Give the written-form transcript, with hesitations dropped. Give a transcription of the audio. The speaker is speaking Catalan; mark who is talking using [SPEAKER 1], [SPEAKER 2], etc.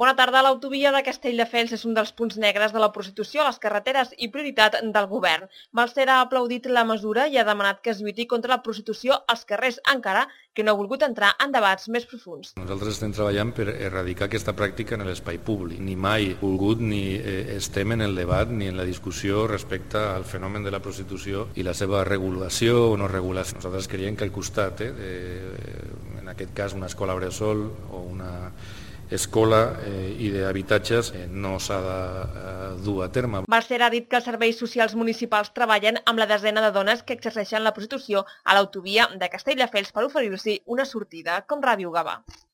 [SPEAKER 1] Bona tarda. L'autovia de Castelldefels és un dels punts negres de la prostitució a les carreteres i prioritat del govern. Balsera ha aplaudit la mesura i ha demanat que es lluiti contra la prostitució als carrers, encara que no ha volgut entrar en debats més profunds.
[SPEAKER 2] Nosaltres estem treballant per erradicar aquesta pràctica en l'espai públic. Ni mai volgut ni estem en el debat ni en la discussió respecte al fenomen de la prostitució i la seva regulació o no regulació. Nosaltres creiem que al costat, en aquest cas una escola bressol o una escola i d'habitatges no s'ha de dur a terme.
[SPEAKER 1] Balsera ha dit que els serveis socials municipals treballen amb la desena de dones que exerceixen la prostitució a l'autovia de Castelldefels per oferir-s'hi una sortida, com Ràdio Gavà.